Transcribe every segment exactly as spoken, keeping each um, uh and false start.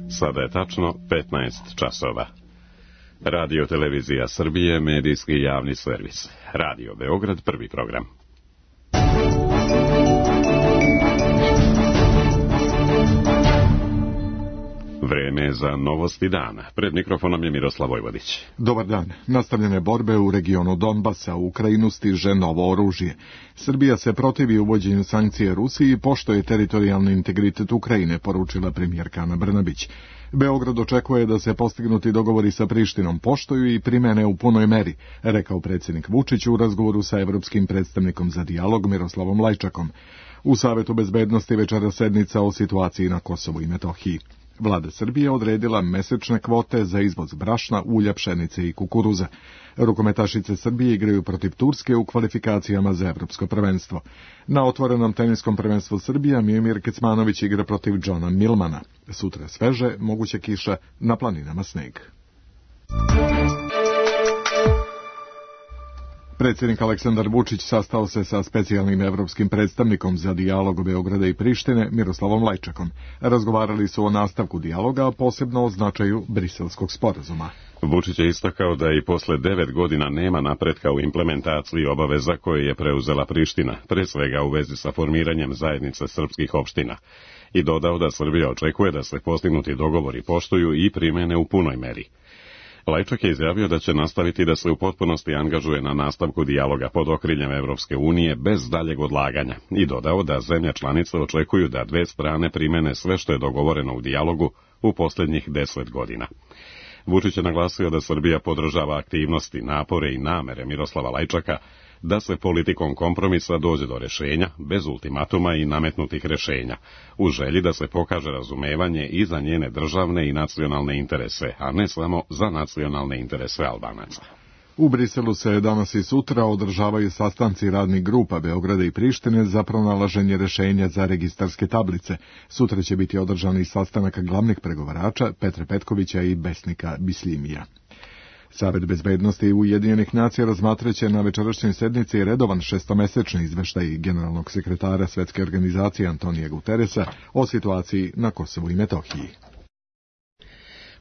Sada je tačno petnaest časova. Radio Televizija Srbije, medijski javni servis. Radio Beograd, prvi program. Vreme za novosti dana. Pred mikrofonom je Miroslav Vojvodić. Dobar dan. Nastavljene borbe u regionu Donbasa, u Ukrajinu stiže novo oružje. Srbija se protivi uvođenju sankcije Rusiji i poštuje teritorijalni integritet Ukrajine, poručila premijerka Ana Brnabić. Beograd očekuje da se postignuti dogovori sa Prištinom poštuju i primene u punoj meri, rekao predsjednik Vučić u razgovoru sa evropskim predstavnikom za dijalog Miroslavom Lajčakom. U Savetu bezbednosti večera sednica o situaciji na Kosovu i Metohiji. Vlada Srbije odredila mesečne kvote za izvoz brašna, ulja, pšenice i kukuruza. Rukometašice Srbije igraju protiv Turske u kvalifikacijama za evropsko prvenstvo. Na otvorenom teniskom prvenstvu Srbija Miomir Kecmanović igra protiv Johna Milmana. Sutra sveže, moguće kiša, na planinama sneg. Predsjednik Aleksandar Vučić sastao se sa specijalnim evropskim predstavnikom za dijalog Beograda i Prištine Miroslavom Lajčakom. Razgovarali su o nastavku dijaloga, a posebno o značaju Briselskog sporazuma. Vučić je istakao da i posle devet godina nema napretka u implementaciji obaveza koje je preuzela Priština, pre svega u vezi sa formiranjem zajednice srpskih opština, i dodao da Srbija očekuje da se postignuti dogovori poštuju i primene u punoj meri. Lajčak je izjavio da će nastaviti da se u potpunosti angažuje na nastavku dijaloga pod okriljem Evropske unije bez daljeg odlaganja i dodao da zemlje članice očekuju da dve strane primene sve što je dogovoreno u dijalogu u posljednjih deset godina. Vučić je naglasio da Srbija podržava aktivnosti, napore i namere Miroslava Lajčaka da se politikom kompromisa dođe do rješenja, bez ultimatuma i nametnutih rješenja, u želji da se pokaže razumevanje i za njene državne i nacionalne interese, a ne samo za nacionalne interese Albanaca. U Briselu se danas i sutra održavaju sastanci radnih grupa Beograda i Prištine za pronalaženje rješenja za registarske tablice. Sutra će biti održan i sastanak glavnih pregovarača Petre Petkovića i Besnika Bisljimija. Savet bezbednosti Ujedinjenih nacija razmatraće na večerašnjoj sednici redovan šestomesečni izveštaj generalnog sekretara Svetske organizacije Antonija Guteresa o situaciji na Kosovu i Metohiji.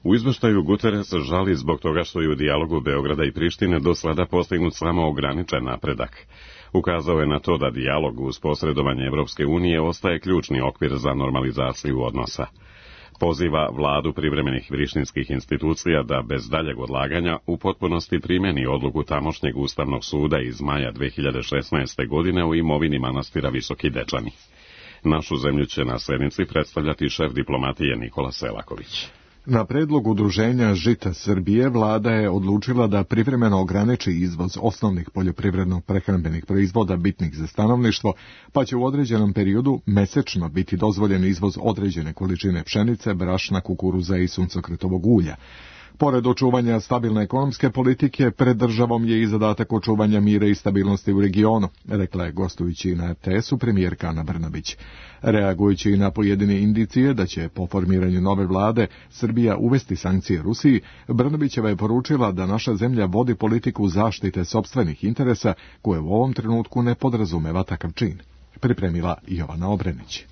U izveštaju Guterres žali zbog toga što je u dijalogu Beograda i Prištine do sada postignut samo ograničen napredak. Ukazao je na to da dijalog uz posredovanje Evropske unije ostaje ključni okvir za normalizaciju odnosa. Poziva vladu privremenih prištinskih institucija da bez daljeg odlaganja u potpunosti primeni odluku tamošnjeg Ustavnog suda iz maja dve hiljade šesnaeste. godine u imovini manastira Visoki Dečani. Našu zemlju će na sednici predstavljati šef diplomatije Nikola Selaković. Na predlog Udruženja Žita Srbije vlada je odlučila da privremeno ograniči izvoz osnovnih poljoprivredno-prehrambenih proizvoda bitnih za stanovništvo, pa će u određenom periodu mesečno biti dozvoljen izvoz određene količine pšenice, brašna, kukuruza i suncokretovog ulja. Pored očuvanja stabilne ekonomske politike, pred državom je i zadatak očuvanja mira i stabilnosti u regionu, rekla je gostujući na R T S-u premijerka Ana Brnabić. Reagujući na pojedine indicije da će po formiranju nove vlade Srbija uvesti sankcije Rusiji, Brnabićeva je poručila da naša zemlja vodi politiku zaštite sopstvenih interesa koje u ovom trenutku ne podrazumeva takav čin. Pripremila Jovana Obrenić.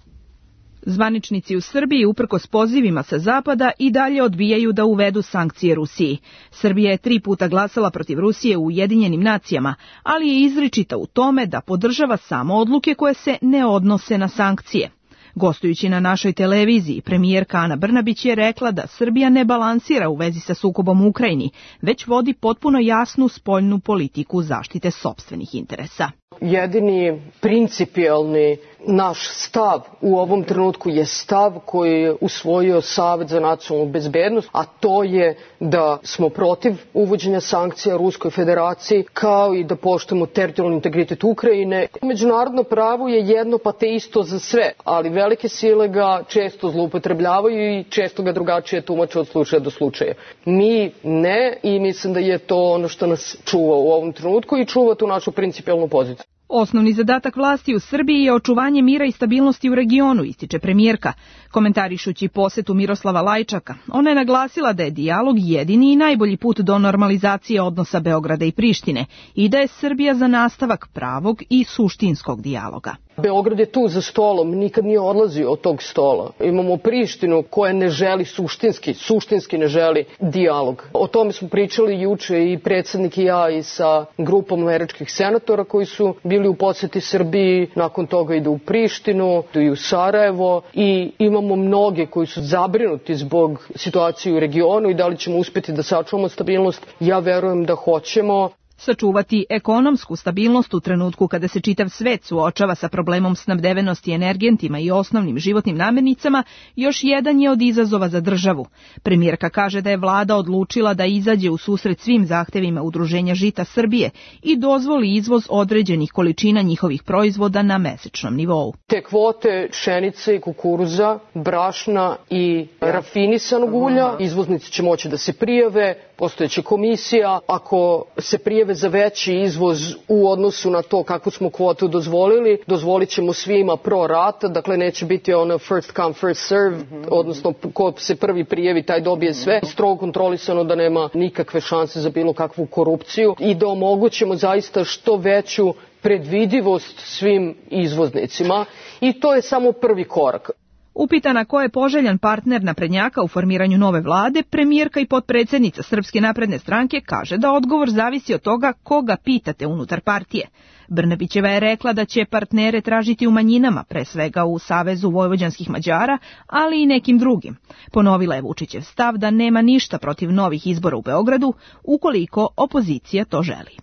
Zvaničnici u Srbiji, uprkos pozivima sa zapada, i dalje odbijaju da uvedu sankcije Rusiji. Srbija je tri puta glasala protiv Rusije u Ujedinjenim nacijama, ali je izričita u tome da podržava samo odluke koje se ne odnose na sankcije. Gostujući na našoj televiziji, premijerka Ana Brnabić je rekla da Srbija ne balansira u vezi sa sukobom u Ukrajini, već vodi potpuno jasnu spoljnu politiku zaštite sopstvenih interesa. Jedini principijelni naš stav u ovom trenutku je stav koji je usvojio Savet za nacionalnu bezbednost, a to je da smo protiv uvođenja sankcija Ruskoj federaciji, kao i da poštujemo teritorijalni integritet Ukrajine. Međunarodno pravo je jedno pa te isto za sve, ali velike sile ga često zloupotrebljavaju i često ga drugačije tumače od slučaja do slučaja. Mi ne, i mislim da je to ono što nas čuva u ovom trenutku i čuva tu našu principijelnu poziciju. Osnovni zadatak vlasti u Srbiji je očuvanje mira i stabilnosti u regionu, ističe premijerka, komentarišući posetu Miroslava Lajčaka. Ona je naglasila da je dijalog jedini i najbolji put do normalizacije odnosa Beograda i Prištine i da je Srbija za nastavak pravog i suštinskog dijaloga. Beograd je tu za stolom, nikad nije odlazio od tog stola. Imamo Prištinu koja ne želi suštinski, suštinski ne želi dijalog. O tome smo pričali juče i predsjednik i ja i sa grupom američkih senatora koji su bili u poseti Srbiji, nakon toga idu u Prištinu, idu i u Sarajevo i imamo mnoge koji su zabrinuti zbog situacije u regionu i da li ćemo uspjeti da sačuvamo stabilnost. Ja verujem da hoćemo. Sačuvati ekonomsku stabilnost u trenutku kada se čitav svet suočava sa problemom snabdevenosti energentima i osnovnim životnim namirnicama još jedan je od izazova za državu. Premijerka kaže da je vlada odlučila da izađe u susret svim zahtevima Udruženja žita Srbije i dozvoli izvoz određenih količina njihovih proizvoda na mesečnom nivou. Te kvote pšenice i kukuruza, brašna i rafinisanog ulja, izvoznici će moći da se prijave, postojeća komisija, ako se prijave za veći izvoz u odnosu na to kakvu smo kvotu dozvolili, dozvolit ćemo svima pro rata, dakle neće biti ono first come first serve, mm-hmm. odnosno ko se prvi prijavi taj dobije sve, strogo kontrolisano da nema nikakve šanse za bilo kakvu korupciju i da omogućimo zaista što veću predvidivost svim izvoznicima i to je samo prvi korak. Upitana ko je poželjan partner naprednjaka u formiranju nove vlade, premijerka i potpredsjednica Srpske napredne stranke kaže da odgovor zavisi od toga koga pitate unutar partije. Brnabićeva je rekla da će partnere tražiti u manjinama, pre svega u Savezu vojvođanskih Mađara, ali i nekim drugim. Ponovila je Vučićev stav da nema ništa protiv novih izbora u Beogradu, ukoliko opozicija to želi.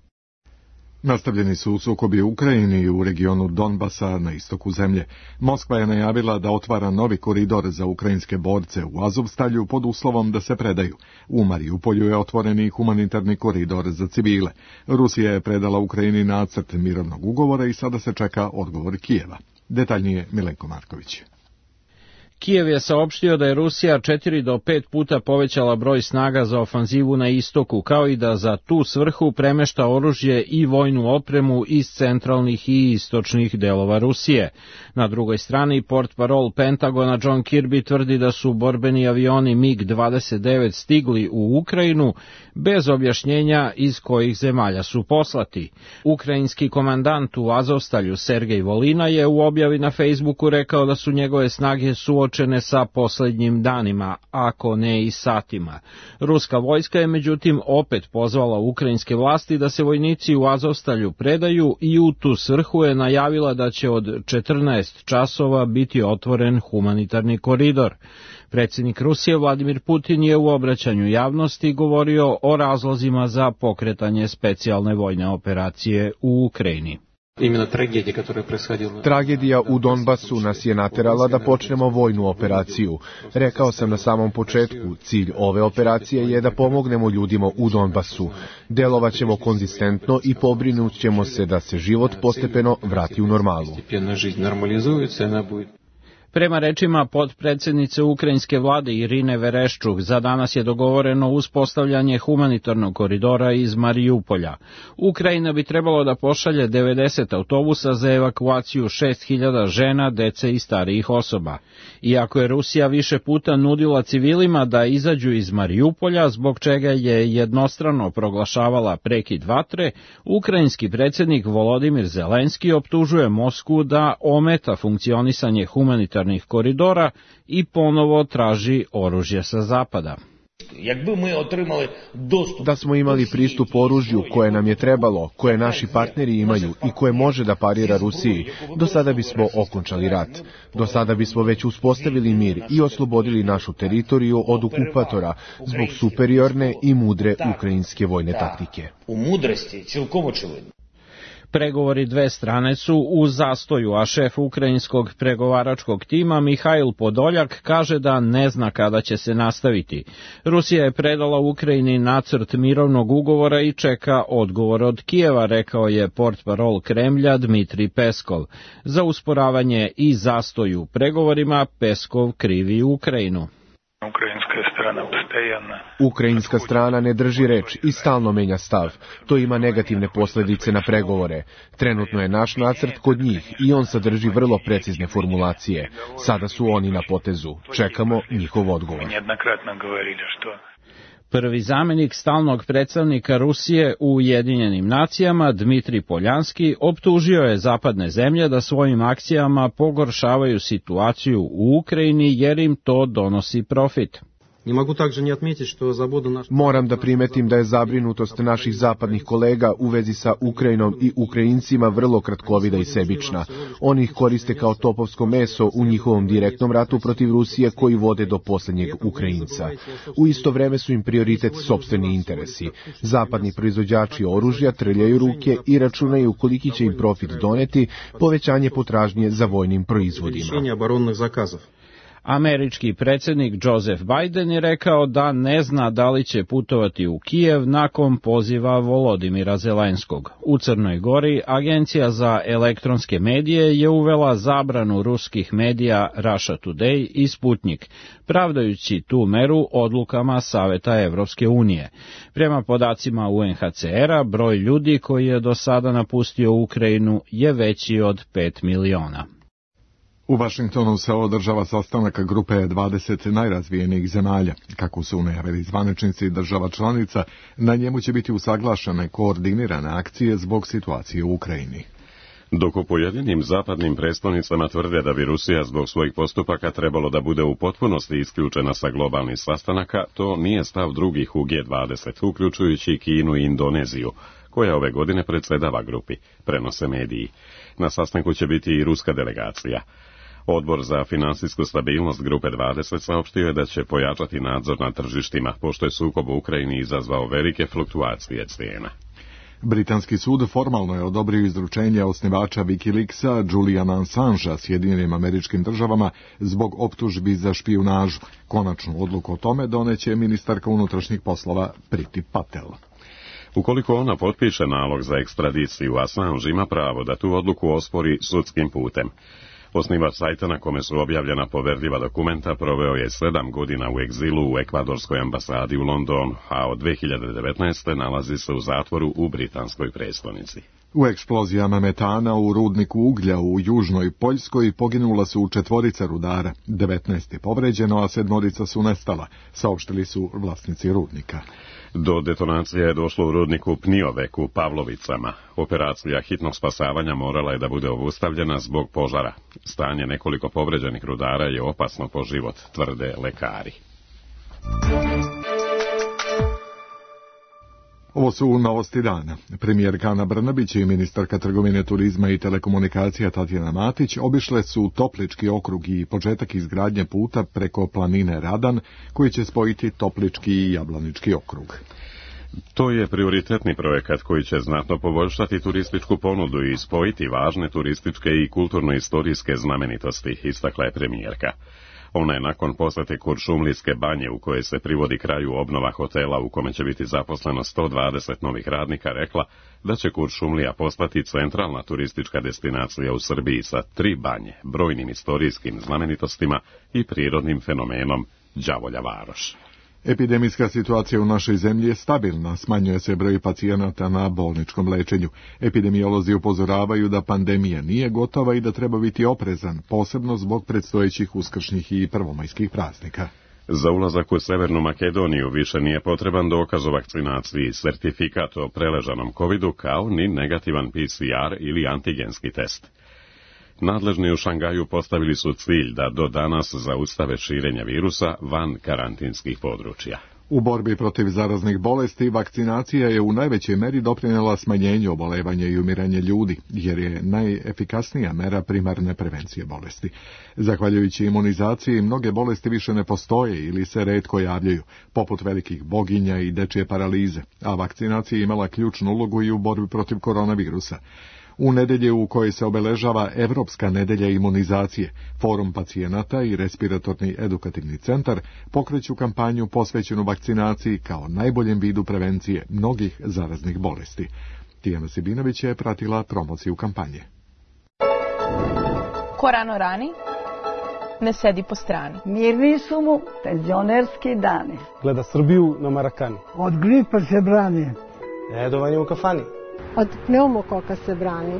Nastavljeni su sukobi u Ukrajini i u regionu Donbasa na istoku zemlje. Moskva je najavila da otvara novi koridor za ukrajinske borce u Azovstalju pod uslovom da se predaju. U Mariupolju je otvoreni humanitarni koridor za civile. Rusija je predala Ukrajini nacrt mirovnog ugovora i sada se čeka odgovor Kijeva. Detaljnije Milenko Marković. Kijev je saopštio da je Rusija četiri do pet puta povećala broj snaga za ofanzivu na istoku, kao i da za tu svrhu premešta oružje i vojnu opremu iz centralnih i istočnih delova Rusije. Na drugoj strani, portparol Pentagona John Kirby tvrdi da su borbeni avioni mig dvadeset devet stigli u Ukrajinu bez objašnjenja iz kojih zemalja su poslati. Ukrajinski komandant u Azovstalju Sergej Volina je u objavi na Facebooku rekao da su njegove snage suočene sa posljednjim danima, ako ne i satima. Ruska vojska je međutim opet pozvala ukrajinske vlasti da se vojnici u Azovstalju predaju i u tu svrhu je najavila da će od četrnaest časova biti otvoren humanitarni koridor. Predsjednik Rusije Vladimir Putin je u obraćanju javnosti govorio o razlozima za pokretanje specijalne vojne operacije u Ukrajini. Tragedija u Donbasu nas je naterala da počnemo vojnu operaciju. Rekao sam na samom početku, cilj ove operacije je da pomognemo ljudima u Donbasu. Delovaćemo konzistentno i pobrinut ćemo se da se život postepeno vrati u normalu. Prema rečima potpredsjednice ukrajinske vlade Irine Vereščuk, za danas je dogovoreno uspostavljanje humanitarnog koridora iz Mariupolja. Ukrajina bi trebalo da pošalje devedeset autobusa za evakuaciju šest hiljada žena, dece i starijih osoba. Iako je Rusija više puta nudila civilima da izađu iz Mariupolja, zbog čega je jednostrano proglašavala prekid vatre, ukrajinski predsjednik Volodimir Zelenski optužuje Moskvu da ometa funkcionisanje humanitarnog koridora i ponovo traži oružje sa zapada. Da smo imali pristup oružju koje nam je trebalo, koje naši partneri imaju i koje može da parira Rusiji, do sada bismo okončali rat. Do sada bismo već uspostavili mir i oslobodili našu teritoriju od okupatora zbog superiorne i mudre ukrajinske vojne taktike. Pregovori dve strane su u zastoju, a šef ukrajinskog pregovaračkog tima Mihajl Podoljak kaže da ne zna kada će se nastaviti. Rusija je predala Ukrajini nacrt mirovnog ugovora i čeka odgovor od Kijeva, rekao je portparol Kremlja Dmitrij Peskov. Za usporavanje i zastoj u pregovorima Peskov krivi Ukrajinu. Ukrajinska strana Ukrajinska strana ne drži reč i stalno menja stav. To ima negativne posljedice na pregovore. Trenutno je naš nacrt kod njih i on sadrži vrlo precizne formulacije. Sada su oni na potezu. Čekamo njihov odgovor. Prvi zamjenik stalnog predstavnika Rusije u Ujedinjenim nacijama, Dmitrij Poljanski, optužio je zapadne zemlje da svojim akcijama pogoršavaju situaciju u Ukrajini jer im to donosi profit. Moram da primetim da je zabrinutost naših zapadnih kolega u vezi sa Ukrajinom i Ukrajincima vrlo kratkovida i sebična. Oni ih koriste kao topovsko meso u njihovom direktnom ratu protiv Rusije koji vode do posljednjeg Ukrajinca. U isto vreme su im prioritet sopstveni interesi. Zapadni proizvođači oružja trljaju ruke i računaju koliki će im profit doneti povećanje potražnje za vojnim proizvodima. Američki predsjednik Joseph Biden je rekao da ne zna da li će putovati u Kijev nakon poziva Volodimira Zelenskog. U Crnoj Gori Agencija za elektronske medije je uvela zabranu ruskih medija Russia Today i Sputnik, pravdajući tu meru odlukama Saveta Evropske unije. Prema podacima U N H C R-a, broj ljudi koji je do sada napustio Ukrajinu je veći od pet miliona. U Vašingtonu se održava sastanak grupe dvadeset najrazvijenijih zemalja. Kako su najavili zvaničnici država članica, na njemu će biti usaglašene koordinirane akcije zbog situacije u Ukrajini. Dok u pojedinim zapadnim predstavnicama tvrde da bi Rusija zbog svojih postupaka trebalo da bude u potpunosti isključena sa globalnih sastanaka, to nije stav drugih u G dvadeset, uključujući Kinu i Indoneziju, koja ove godine predsjedava grupi, prenose mediji. Na sastanku će biti i ruska delegacija. Odbor za finansijsku stabilnost grupe dvadeset saopštio je da će pojačati nadzor na tržištima, pošto je sukob u Ukrajini izazvao velike fluktuacije cijena. Britanski sud formalno je odobrio izručenje osnivača Wikileaksa Juliana Assangea Sjedinjenim Američkim Državama zbog optužbi za špijunažu. Konačnu odluku o tome doneće ministarka unutrašnjih poslova Priti Patel. Ukoliko ona potpiše nalog za ekstradiciju, Assange ima pravo da tu odluku ospori sudskim putem. Osnivač sajta na kome su objavljena poverljiva dokumenta proveo je sedam godina u egzilu u ekvadorskoj ambasadi u Londonu, a od dve hiljade devetnaeste. nalazi se u zatvoru u britanskoj prestonici. U eksplozijama metana u rudniku uglja u južnoj Poljskoj poginula su četvorica rudara, devetnaest je povređeno, a sedmorica su nestala, saopštili su vlasnici rudnika. Do detonacije je došlo u rudniku Pniovek u Pavlovicama. Operacija hitnog spasavanja morala je da bude obustavljena zbog požara. Stanje nekoliko povređenih rudara je opasno po život, tvrde lekari. Ovo su novosti dana. Premijerka Ana Brnabić i ministarka trgovine, turizma i telekomunikacija Tatjana Matić obišle su Toplički okrug i početak izgradnje puta preko planine Radan, koji će spojiti Toplički i Jablanički okrug. To je prioritetni projekat koji će znatno poboljšati turističku ponudu i spojiti važne turističke i kulturno-istorijske znamenitosti, istakla je premijerka. Ona je nakon posjete Kuršumlijske banje, u kojoj se privodi kraju obnova hotela u kome će biti zaposleno sto dvadeset novih radnika, rekla da će Kuršumlija postati centralna turistička destinacija u Srbiji sa tri banje, brojnim istorijskim znamenitostima i prirodnim fenomenom Đavolja Varoš. Epidemijska situacija u našoj zemlji je stabilna, smanjuje se broj pacijenata na bolničkom lečenju. Epidemiolozi upozoravaju da pandemija nije gotova i da treba biti oprezan, posebno zbog predstojećih uskršnjih i prvomajskih praznika. Za ulazak u Severnu Makedoniju više nije potreban dokaz o vakcinaciji, sertifikat o preležanom covidu, kao ni negativan P C R ili antigenski test. Nadležni u Šangaju postavili su cilj da do danas zaustave širenje virusa van karantinskih područja. U borbi protiv zaraznih bolesti vakcinacija je u najvećoj meri doprinijela smanjenju obolevanja i umiranja ljudi, jer je najefikasnija mera primarne prevencije bolesti. Zahvaljujući imunizaciji, mnoge bolesti više ne postoje ili se retko javljaju, poput velikih boginja i dečje paralize, a vakcinacija je imala ključnu ulogu i u borbi protiv koronavirusa. U nedelje u kojoj se obeležava Evropska nedelja imunizacije, Forum pacijenata i Respiratorni edukativni centar pokreću kampanju posvećenu vakcinaciji kao najboljem vidu prevencije mnogih zaraznih bolesti. Tijana Sibinović je pratila promociju kampanje. Ko rano rani, ne sedi po strani. Mirni su mu penzionerski dani. Gleda Srbiju na Marakani. Od gripa se brani. Redovanje u kafani. Od pneumokoka se brani.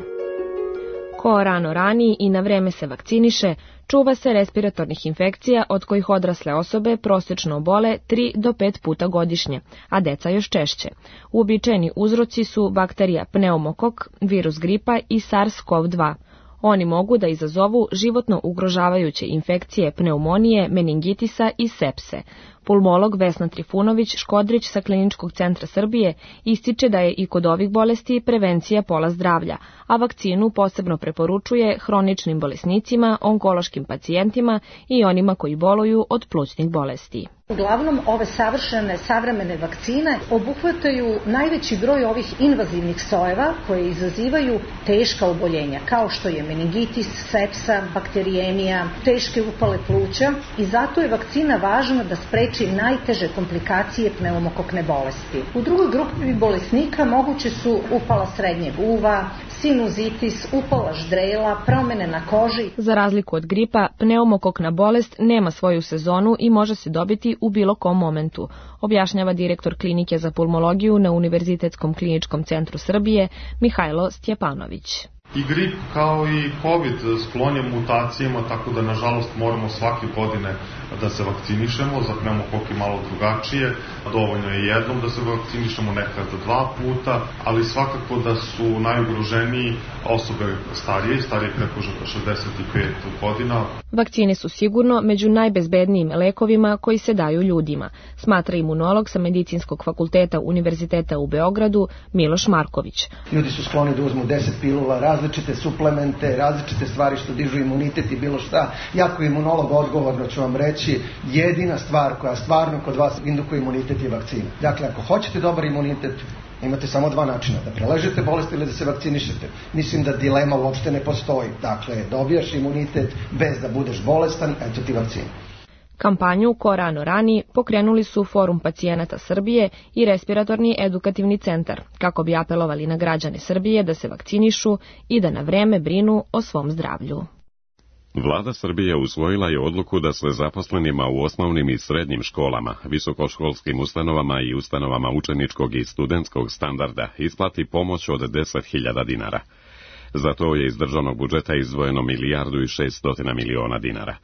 Ko rano rani i na vreme se vakciniše, čuva se respiratornih infekcija od kojih odrasle osobe prosječno obole tri do pet puta godišnje, a deca još češće. Uobičajeni uzroci su bakterija pneumokok, virus gripa i SARS-CoV dva. Oni mogu da izazovu životno ugrožavajuće infekcije pneumonije, meningitisa i sepse. Pulmolog Vesna Trifunović-Škodrić sa Kliničkog centra Srbije ističe da je i kod ovih bolesti prevencija pola zdravlja, a vakcinu posebno preporučuje hroničnim bolesnicima, onkološkim pacijentima i onima koji boluju od plućnih bolesti. Uglavnom, ove savršene, savremene vakcine obuhvataju najveći broj ovih invazivnih sojeva koje izazivaju teška oboljenja, kao što je meningitis, sepsa, bakteriemija, teške upale pluća i zato je vakcina važna da spreči najteže komplikacije pneumokokne bolesti. U drugoj grupi bolesnika moguće su upala srednjeg uva, sinuzitis, upala ždrela, promene na koži. Za razliku od gripa, pneumokokna bolest nema svoju sezonu i može se dobiti u bilo kom momentu, objašnjava direktor Klinike za pulmologiju na Univerzitetskom kliničkom centru Srbije Mihajlo Stjepanović. I grip kao i COVID sklon je mutacijama, tako da nažalost moramo svake godine da se vakcinišemo, za pneumokok je malo drugačije, dovoljno je jednom da se vakcinišemo, nekad dva puta, ali svakako da su najugroženiji osobe starije, starije preko šezdeset pet godina. Vakcine su sigurno među najbezbednijim lekovima koji se daju ljudima, smatra imunolog sa Medicinskog fakulteta Univerziteta u Beogradu Miloš Marković. Ljudi su skloni da uzmu deset pilula, različite suplemente, različite stvari što dižu imunitet i bilo šta. Ja kao imunolog odgovorno ću vam reći, jedina stvar koja stvarno kod vas indukuje imunitet je vakcina. Dakle, ako hoćete dobar imunitet, imate samo dva načina, da preležete bolest ili da se vakcinišete. Mislim da dilema uopšte ne postoji. Dakle, dobijaš imunitet bez da budeš bolestan, eto ti vakcina. Kampanju Ko rano rani pokrenuli su Forum pacijenata Srbije i Respiratorni edukativni centar, kako bi apelovali na građane Srbije da se vakcinišu i da na vreme brinu o svom zdravlju. Vlada Srbije usvojila je odluku da se zaposlenima u osnovnim i srednjim školama, visokoškolskim ustanovama i ustanovama učeničkog i studentskog standarda isplati pomoć od deset hiljada dinara. Za to je iz državnog budžeta izdvojeno milijardu i šeststotina miliona dinara.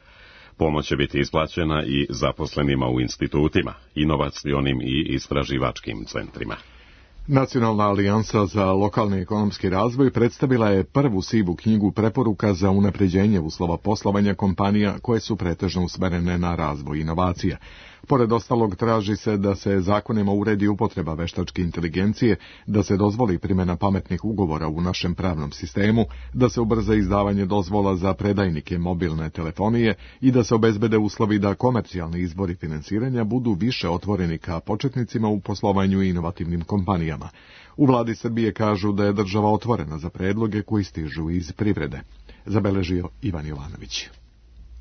Pomoć će biti isplaćena i zaposlenima u institutima, inovacionim i istraživačkim centrima. Nacionalna alijansa za lokalni ekonomski razvoj predstavila je prvu sivu knjigu preporuka za unapređenje uslova poslovanja kompanija koje su pretežno usmerene na razvoj inovacija. Pored ostalog, traži se da se zakonima uredi upotreba veštačke inteligencije, da se dozvoli primjena pametnih ugovora u našem pravnom sistemu, da se ubrza izdavanje dozvola za predajnike mobilne telefonije i da se obezbede uslovi da komercijalni izvori finansiranja budu više otvoreni ka početnicima u poslovanju i inovativnim kompanijama. U vladi Srbije kažu da je država otvorena za predloge koji stižu iz privrede. Zabeležio Ivan Jovanović.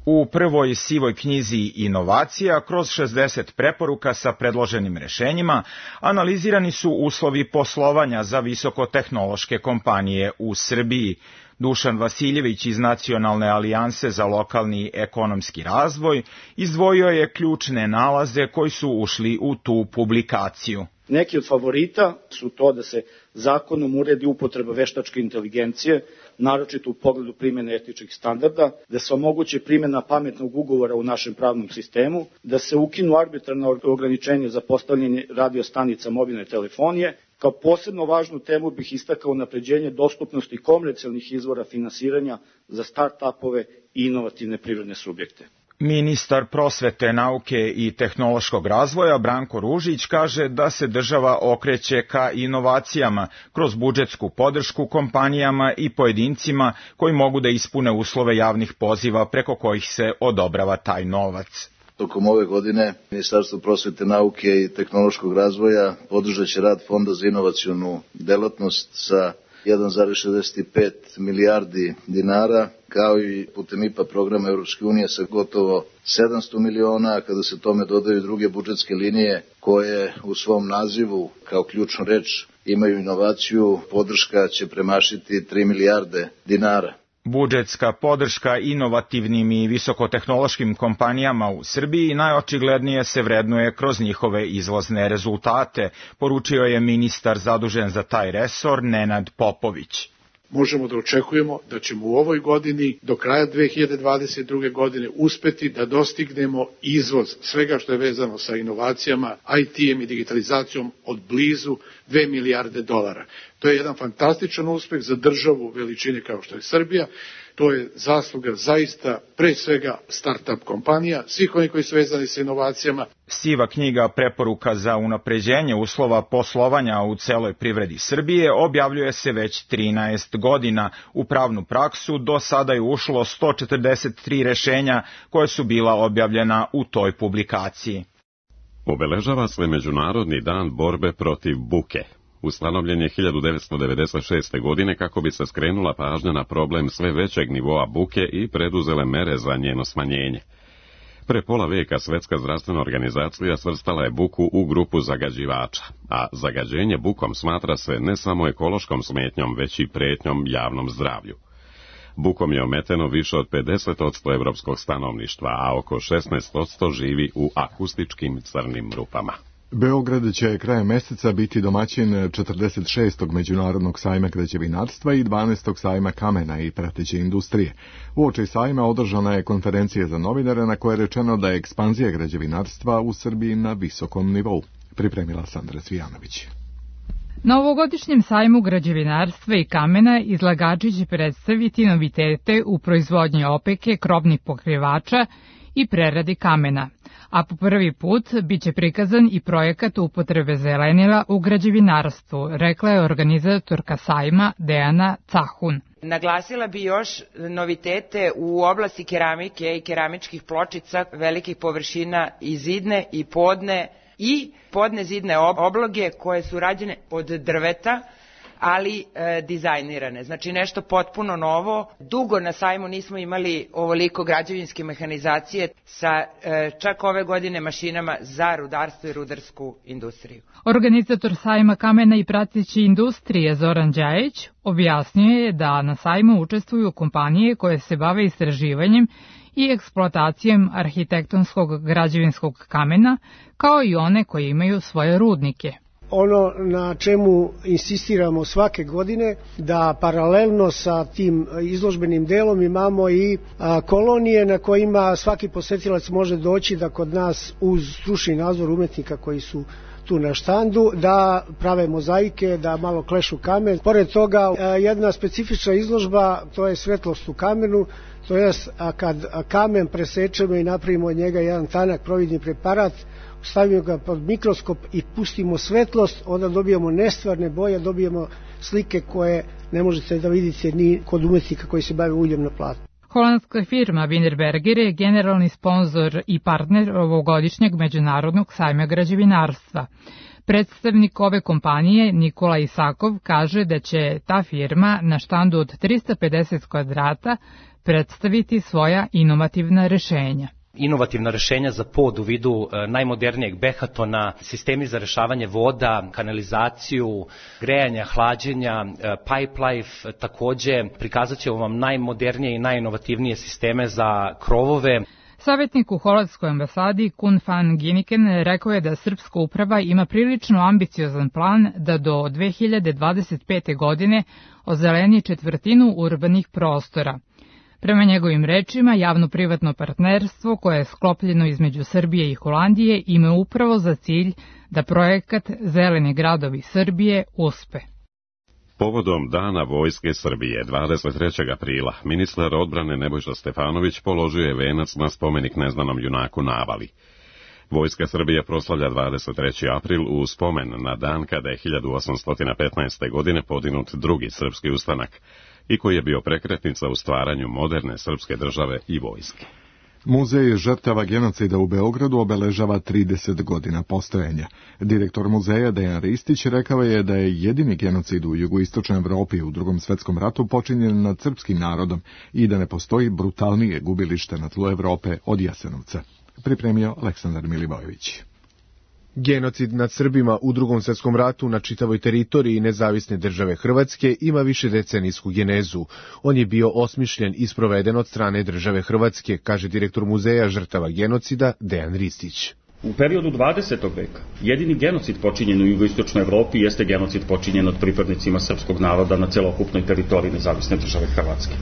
U prvoj sivoj knjizi inovacija, kroz šezdeset preporuka sa predloženim rešenjima, analizirani su uslovi poslovanja za visokotehnološke kompanije u Srbiji. Dušan Vasiljević iz Nacionalne alijanse za lokalni ekonomski razvoj izdvojio je ključne nalaze koji su ušli u tu publikaciju. Neki od favorita su to da se zakonom uredi upotreba veštačke inteligencije, naročito u pogledu primjene etičkih standarda, da se omogući primjena pametnog ugovora u našem pravnom sistemu, da se ukinu arbitrarna ograničenja za postavljanje radiostanica mobilne telefonije. Kao posebno važnu temu bih istakao unapređenje dostupnosti komercijalnih izvora finansiranja za start-upove i inovativne privredne subjekte. Ministar prosvete, nauke i tehnološkog razvoja Branko Ružić kaže da se država okreće ka inovacijama kroz budžetsku podršku kompanijama i pojedincima koji mogu da ispune uslove javnih poziva preko kojih se odobrava taj novac. Tokom ove godine Ministarstvo prosvete, nauke i tehnološkog razvoja podržat će rad Fonda za inovacionu delatnost sa jedan zarez šezdeset pet milijardi dinara, kao i putem I P A programa Europske unije sa gotovo sedamsto miliona, a kada se tome dodaju druge budžetske linije koje u svom nazivu kao ključnu reč imaju inovaciju, podrška će premašiti tri milijarde dinara. Budžetska podrška inovativnim i visokotehnološkim kompanijama u Srbiji najočiglednije se vrednuje kroz njihove izvozne rezultate, poručio je ministar zadužen za taj resor Nenad Popović. Možemo da očekujemo da ćemo u ovoj godini do kraja dve hiljade dvadeset druge. godine uspeti da dostignemo izvoz svega što je vezano sa inovacijama, I T-em i digitalizacijom od blizu dve milijarde dolara. To je jedan fantastičan uspeh za državu veličine kao što je Srbija. To je zasluga zaista pre svega start-up kompanija, svih onih koji su vezani sa inovacijama. Siva knjiga preporuka za unapređenje uslova poslovanja u celoj privredi Srbije objavljuje se već trinaest godina. U pravnu praksu do sada je ušlo sto četrdeset tri rešenja koje su bila objavljena u toj publikaciji. Obeležava se Međunarodni dan borbe protiv buke. Ustanovljen je hiljadu devetsto devedeset šeste. godine kako bi se skrenula pažnja na problem sve većeg nivoa buke i preduzele mere za njeno smanjenje. Pre pola veka Svetska zdravstvena organizacija svrstala je buku u grupu zagađivača, a zagađenje bukom smatra se ne samo ekološkom smetnjom, već i pretnjom javnom zdravlju. Bukom je ometeno više od pedeset posto evropskog stanovništva, a oko šesnaest posto živi u akustičkim crnim rupama. Beograd će krajem meseca biti domaćin četrdeset šestog Međunarodnog sajma građevinarstva i dvanaestog sajma kamena i prateće industrije. Uoči sajma održana je konferencija za novinare na kojoj je rečeno da je ekspanzija građevinarstva u Srbiji na visokom nivou. Pripremila Sandra Cvijanović. Na ovogodišnjem sajmu građevinarstva i kamena izlagači će predstaviti novitete u proizvodnji opeke, krovnih pokrivača i preradi kamena, a po prvi put biće prikazan i projekat upotrebe zelenila u građevinarstvu, rekla je organizatorka sajma Dejana Cahun. Naglasila bi još novitete u oblasti keramike i keramičkih pločica velikih površina i zidne i podne i podne zidne obloge koje su rađene od drveta, ali e, dizajnirane. Znači nešto potpuno novo. Dugo na sajmu nismo imali ovoliko građevinske mehanizacije sa e, čak ove godine mašinama za rudarstvo i rudarsku industriju. Organizator sajma kamena i prateće industrije Zoran Đajić objasnio je da na sajmu učestvuju kompanije koje se bave istraživanjem i eksploatacijom arhitektonskog građevinskog kamena, kao i one koje imaju svoje rudnike. Ono na čemu insistiramo svake godine, da paralelno sa tim izložbenim delom imamo i kolonije na kojima svaki posetilac može doći da kod nas uz stručni nadzor umetnika koji su tu na štandu, da prave mozaike, da malo klešu kamen. Pored toga, jedna specifična izložba, to je svetlost u kamenu, to je kad kamen presečemo i napravimo od njega jedan tanak providni preparat, stavimo ga pod mikroskop i pustimo svetlost, onda dobijamo nestvarne boje, dobijemo slike koje ne možete da vidite ni kod umetnika koji se bave uljem na platnu. Holandska firma Wienerberger je generalni sponzor i partner ovogodišnjeg Međunarodnog sajma građevinarstva. Predstavnik ove kompanije, Nikola Isakov, kaže da će ta firma na štandu od trista pedeset kvadrata predstaviti svoja inovativna rešenja. Inovativna rešenja za pod u vidu najmodernijeg behatona, sistemi za rešavanje voda, kanalizaciju, grejanja, hlađenja, pipe life, takođe prikazat će vam najmodernije i najinovativnije sisteme za krovove. Savjetnik u holandskoj ambasadi Koen van Ginniken rekao je da srpska uprava ima prilično ambiciozan plan da do dve hiljade dvadeset pete. godine ozeleni četvrtinu urbanih prostora. Prema njegovim rečima, javno-privatno partnerstvo koje je sklopljeno između Srbije i Holandije ima upravo za cilj da projekat Zeleni gradovi Srbije uspe. Povodom Dana Vojske Srbije, dvadeset trećeg aprila, ministar odbrane Nebojša Stefanović položio je venac na spomenik neznanom junaku na Avali. Vojska Srbije proslavlja dvadeset treći april u spomen na dan kada je hiljadu osamsto petnaeste. godine podinut drugi srpski ustanak i koji je bio prekretnica u stvaranju moderne srpske države i vojske. Muzej žrtava genocida u Beogradu obeležava trideset godina postojanja. Direktor muzeja Dejan Ristić rekao je da je jedini genocid u jugoistočnoj Evropi u Drugom svetskom ratu počinjen nad srpskim narodom i da ne postoji brutalnije gubilište na tlu Evrope od Jasenovca. Pripremio Aleksandar Milivojević. Genocid nad Srbima u Drugom svetskom ratu na čitavoj teritoriji nezavisne države Hrvatske ima višedecenijsku genezu. On je bio osmišljen i sproveden od strane države Hrvatske, kaže direktor Muzeja žrtava genocida Dejan Ristić. U periodu dvadesetog veka jedini genocid počinjen u jugoistočnoj Evropi jeste genocid počinjen od pripadnicima srpskog naroda na celokupnoj teritoriji nezavisne države Hrvatske.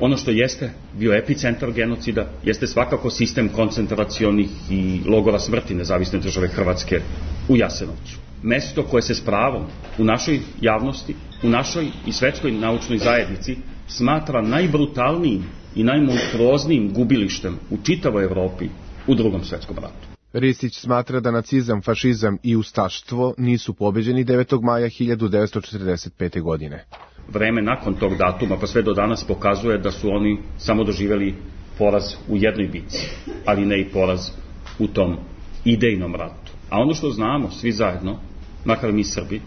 Ono što jeste bio epicentar genocida jeste svakako sistem koncentracionih i logora smrti nezavisne države Hrvatske u Jasenovcu. Mesto koje se s pravom u našoj javnosti, u našoj i svetskoj naučnoj zajednici smatra najbrutalnijim i najmonstruoznijim gubilištem u čitavoj Evropi u Drugom svetskom ratu. Ristić smatra da nacizam, fašizam i ustaštvo nisu pobeđeni devetog maja hiljadu devetsto četrdeset pete. godine. Vreme nakon tog datuma pa sve do danas pokazuje da su oni samo doživjeli poraz u jednoj bitci, ali ne i poraz u tom idejnom ratu. A ono što znamo svi zajedno, makar mi Srbi,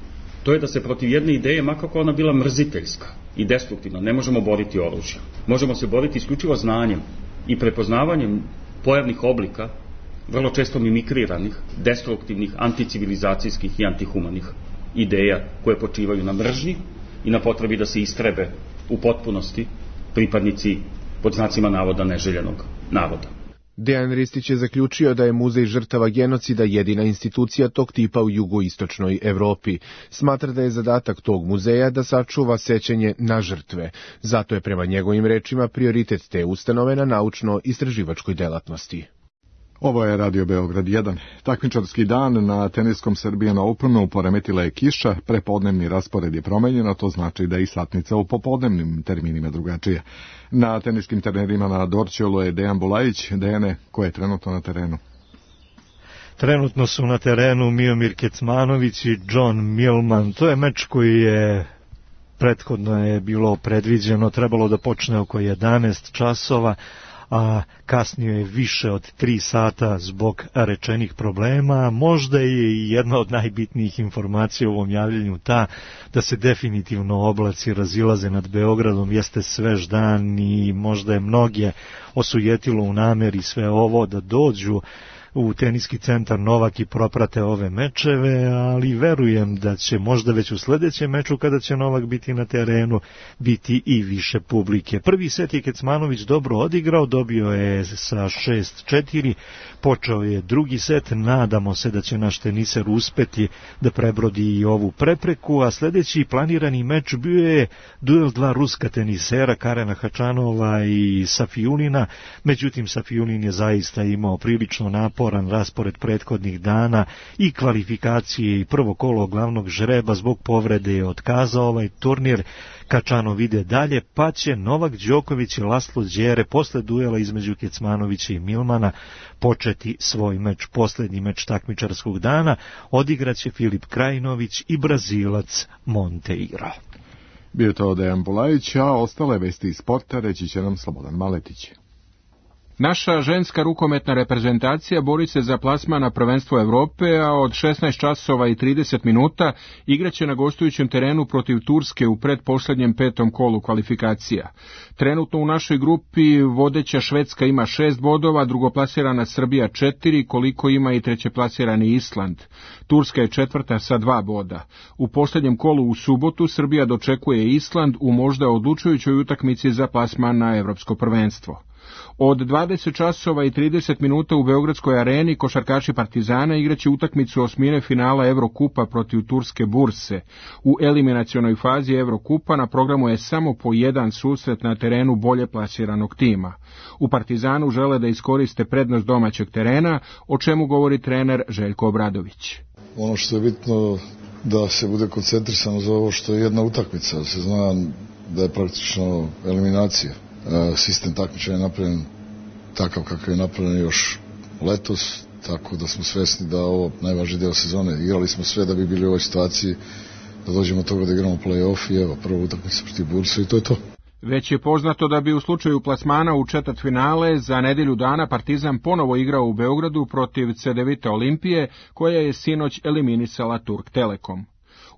to je da se protiv jedne ideje, makako ona bila mrziteljska i destruktivna, ne možemo boriti oružjem. Možemo se boriti isključivo znanjem i prepoznavanjem pojavnih oblika, vrlo često mimikriranih, destruktivnih, anticivilizacijskih i antihumanih ideja koje počivaju na mržnji i na potrebi da se istrebe u potpunosti pripadnici pod znacima navoda neželjenog naroda. Dejan Ristić je zaključio da je Muzej žrtava genocida jedina institucija tog tipa u jugoistočnoj Evropi. Smatra da je zadatak tog muzeja da sačuva sećanje na žrtve. Zato je prema njegovim rečima prioritet te ustanove na naučno-istraživačkoj delatnosti. Ovo je Radio Beograd jedan. Takmičarski dan na teniskom Serbian Openu poremetila je kiša, prepodnevni raspored je promenjen, a to znači da je i satnica u popodnevnim terminima drugačija. Na teniskim trenerima na Dorćolu je Dejan Bulajić. Dejane, ko je trenutno na terenu? Trenutno su na terenu Miomir Kecmanović i John Millman. To je meč koji je prethodno je bilo predviđeno, trebalo da počne oko jedanaest časova, a kasnije je više od tri sata zbog rečenih problema. Možda je i jedna od najbitnijih informacija u ovom javljanju ta da se definitivno oblaci razilaze nad Beogradom, jeste svež dan i možda je mnoge osujetilo u nameri sve ovo da dođu u teniski centar Novak i proprate ove mečeve, ali verujem da će možda već u sledećem meču kada će Novak biti na terenu biti i više publike. Prvi set je Kecmanović dobro odigrao, dobio je sa šest četiri, počeo je drugi set, nadamo se da će naš teniser uspeti da prebrodi i ovu prepreku, a sledeći planirani meč bio je duel dva ruska tenisera, Karena Hačanova i Safiulina, međutim Safiulin je zaista imao prilično napor Poran raspored prethodnih dana i kvalifikacije i prvo kolo glavnog žreba zbog povrede je otkazao ovaj turnir. Kačanov ide dalje, pa će Novak Đoković i Laslo Đere posle duela između Kecmanovića i Milmana početi svoj meč, poslednji meč takmičarskog dana. Odigraće Filip Krajinović i Brazilac Monteiro. Bio to Dejan Bulajić, a ostale vesti iz sporta reći će nam Slobodan Maletić. Naša ženska rukometna reprezentacija bori se za plasman na prvenstvo Evrope, a od šesnaest časova i trideset minuta igraće na gostujućem terenu protiv Turske u pretposlednjem petom kolu kvalifikacija. Trenutno u našoj grupi vodeća Švedska ima šest bodova, drugoplasirana Srbija četiri, koliko ima i trećeplasirani Island. Turska je četvrta sa dva boda. U posljednjem kolu u subotu Srbija dočekuje Island u možda odlučujućoj utakmici za plasman na Evropsko prvenstvo. Od dvadeset časova i trideset minuta u Beogradskoj areni košarkaši Partizana igraće utakmicu osmine finala Evrokupa protiv Turske Burse. U eliminacionoj fazi Evrokupa na programu je samo po jedan susret na terenu bolje plasiranog tima. U Partizanu žele da iskoriste prednost domaćeg terena, o čemu govori trener Željko Obradović. Ono što je bitno da se bude koncentrisano za ovo što je jedna utakmica, da se zna da je praktično eliminacija. Sistem takmičenja je napravljen takav kakav je napravljen još letos, tako da smo svesni da ovo najvažniji deo sezone. Igrali smo sve da bi bili u ovoj situaciji, da dođemo od toga da igramo play-off i evo, prva utakmica protiv Burse i to je to. Već je poznato da bi u slučaju plasmana u četvrtfinale za nedelju dana Partizan ponovo igrao u Beogradu protiv Cedevita Olimpije, koja je sinoć eliminisala Turk Telekom.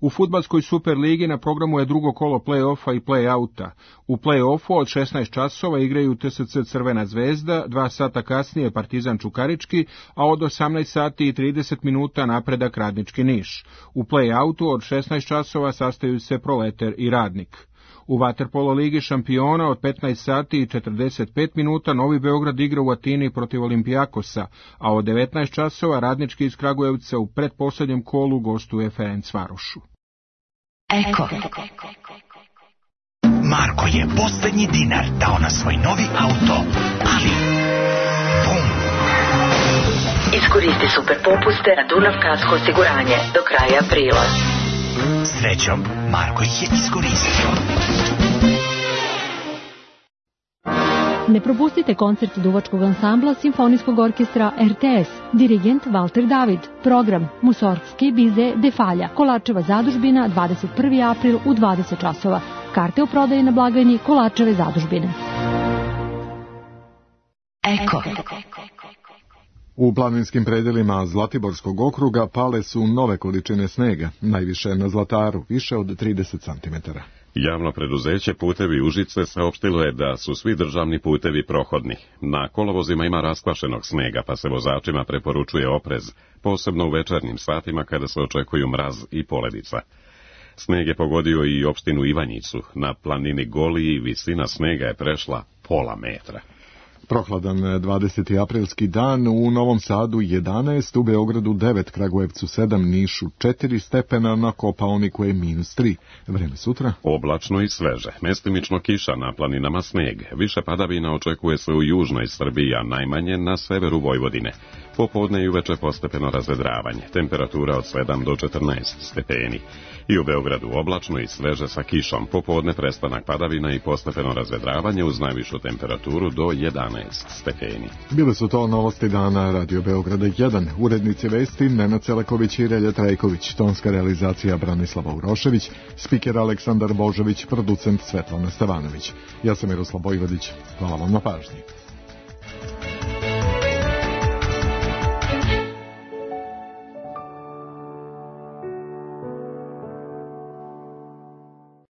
U fudbalskoj Superligi na programu je drugo kolo play-offa i play-outa. U play-offu od šesnaest časova igraju T S C Crvena zvezda, dva sata kasnije Partizan Čukarički, a od osamnaest sati i trideset minuta Napredak Radnički Niš. U play-outu od šesnaest časova sastaju se Proleter i Radnik. U vaterpolo ligi šampiona od petnaest sati i četrdeset pet minuta Novi Beograd igra u Atini protiv Olimpijakosa, a od devetnaest časova Radnički iz Kragujevca u pretposlednjem kolu gostuje Ferencvarošu. Eko. Marko je poslednji dinar dao na svoj novi auto, ali bum! Iskoristi super popuste na Dunav Kasko osiguranje do kraja aprila. Srećom, Marko ih je iskoristio. Ne propustite koncert duvačkog ansambla Simfonijskog orkestra R T S, dirigent Valter David, program Musorgski bize Defalja, Kolačeva zadužbina, dvadeset prvi april u dvadeset časova. Karte u prodaji na blagajni Kolačeve zadužbine. Eko. U planinskim predelima Zlatiborskog okruga pale su nove količine snega, najviše na Zlataru, više od trideset centimetara. Javno preduzeće Putevi Užice saopštilo je da su svi državni putevi prohodni. Na kolovozima ima raskvašenog snega, pa se vozačima preporučuje oprez, posebno u večernjim satima kada se očekuju mraz i poledica. Sneg je pogodio i opštinu Ivanjicu. Na planini Goliji visina snega je prešla pola metra. Prohladan dvadeseti aprilski dan, u Novom Sadu jedanaest, u Beogradu devet, Kragujevcu sedam, Nišu četiri stepena, na Kopaoniku je minus tri. Vreme sutra? Oblačno i sveže, mestimično kiša, na planinama sneg. Više padavina očekuje se u južnoj Srbiji, a najmanje na severu Vojvodine. Popodne i uveče postepeno razvedravanje, temperatura od sedam do četrnaest stepeni. I u Beogradu oblačno i sveže sa kišom, popodne prestanak padavina i postepeno razvedravanje uz najvišu temperaturu do jedanaest stepeni. Bile su to novosti dana Radio Beograda jedan, urednici vesti Nenad Celeković i Relja Trajković, tonska realizacija Branislava Urošević, spiker Aleksandar Božović, producent Svetlana Stevanović. Ja sam Miroslav Bojvodić, hvala vam na pažnji.